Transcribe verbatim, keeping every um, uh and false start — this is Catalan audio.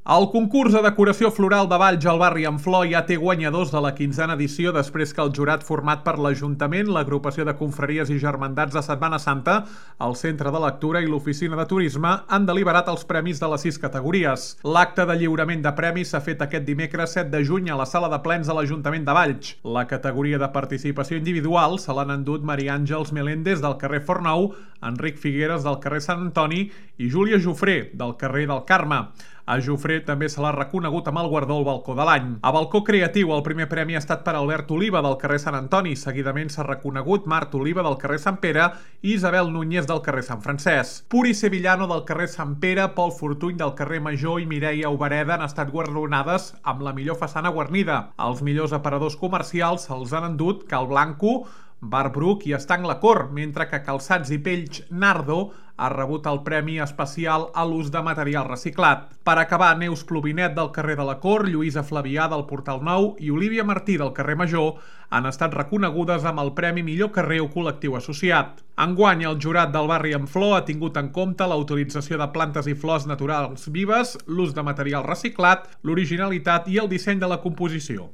El concurs de decoració floral de Valls al barri Amflor ja té guanyadors de la quinzena edició després que el jurat format per l'Ajuntament, l'Agrupació de Confraries i Germandats de Setmana Santa, el Centre de Lectura i l'Oficina de Turisme han deliberat els premis de les sis categories. L'acte de lliurament de premis s'ha fet aquest dimecres set de juny a la sala de plens de l'Ajuntament de Valls. La categoria de participació individual se l'han endut Maria Àngels Meléndez del carrer Fornou, Enric Figueres del carrer Sant Antoni i Júlia Jofré del carrer del Carme. A Jofré també se l'ha reconegut amb el guardó al balcó de l'any. A balcó creatiu, el primer premi ha estat per Albert Oliva del carrer Sant Antoni. Seguidament s'ha reconegut Mart Oliva del carrer Sant Pere i Isabel Núñez del carrer Sant Francesc. Puri Sevillano del carrer Sant Pere, Pol Fortuny del carrer Major i Mireia Obereda han estat guardonades amb la millor façana guarnida. Els millors aparadors comercials se'ls han endut Cal Blanco, Bar Bruc i Estanc La Cor, mentre que Calçats i Pells Nardo ha rebut el premi especial a l'ús de material reciclat. Per acabar, Neus Plovinet del carrer de la Cor, Lluïsa Flavià del Portal Nou i Olivia Martí del carrer Major han estat reconegudes amb el Premi Millor Carrer o Col·lectiu Associat. Enguany, el jurat del barri Amflor ha tingut en compte la utilització de plantes i flors naturals vives, l'ús de material reciclat, l'originalitat i el disseny de la composició.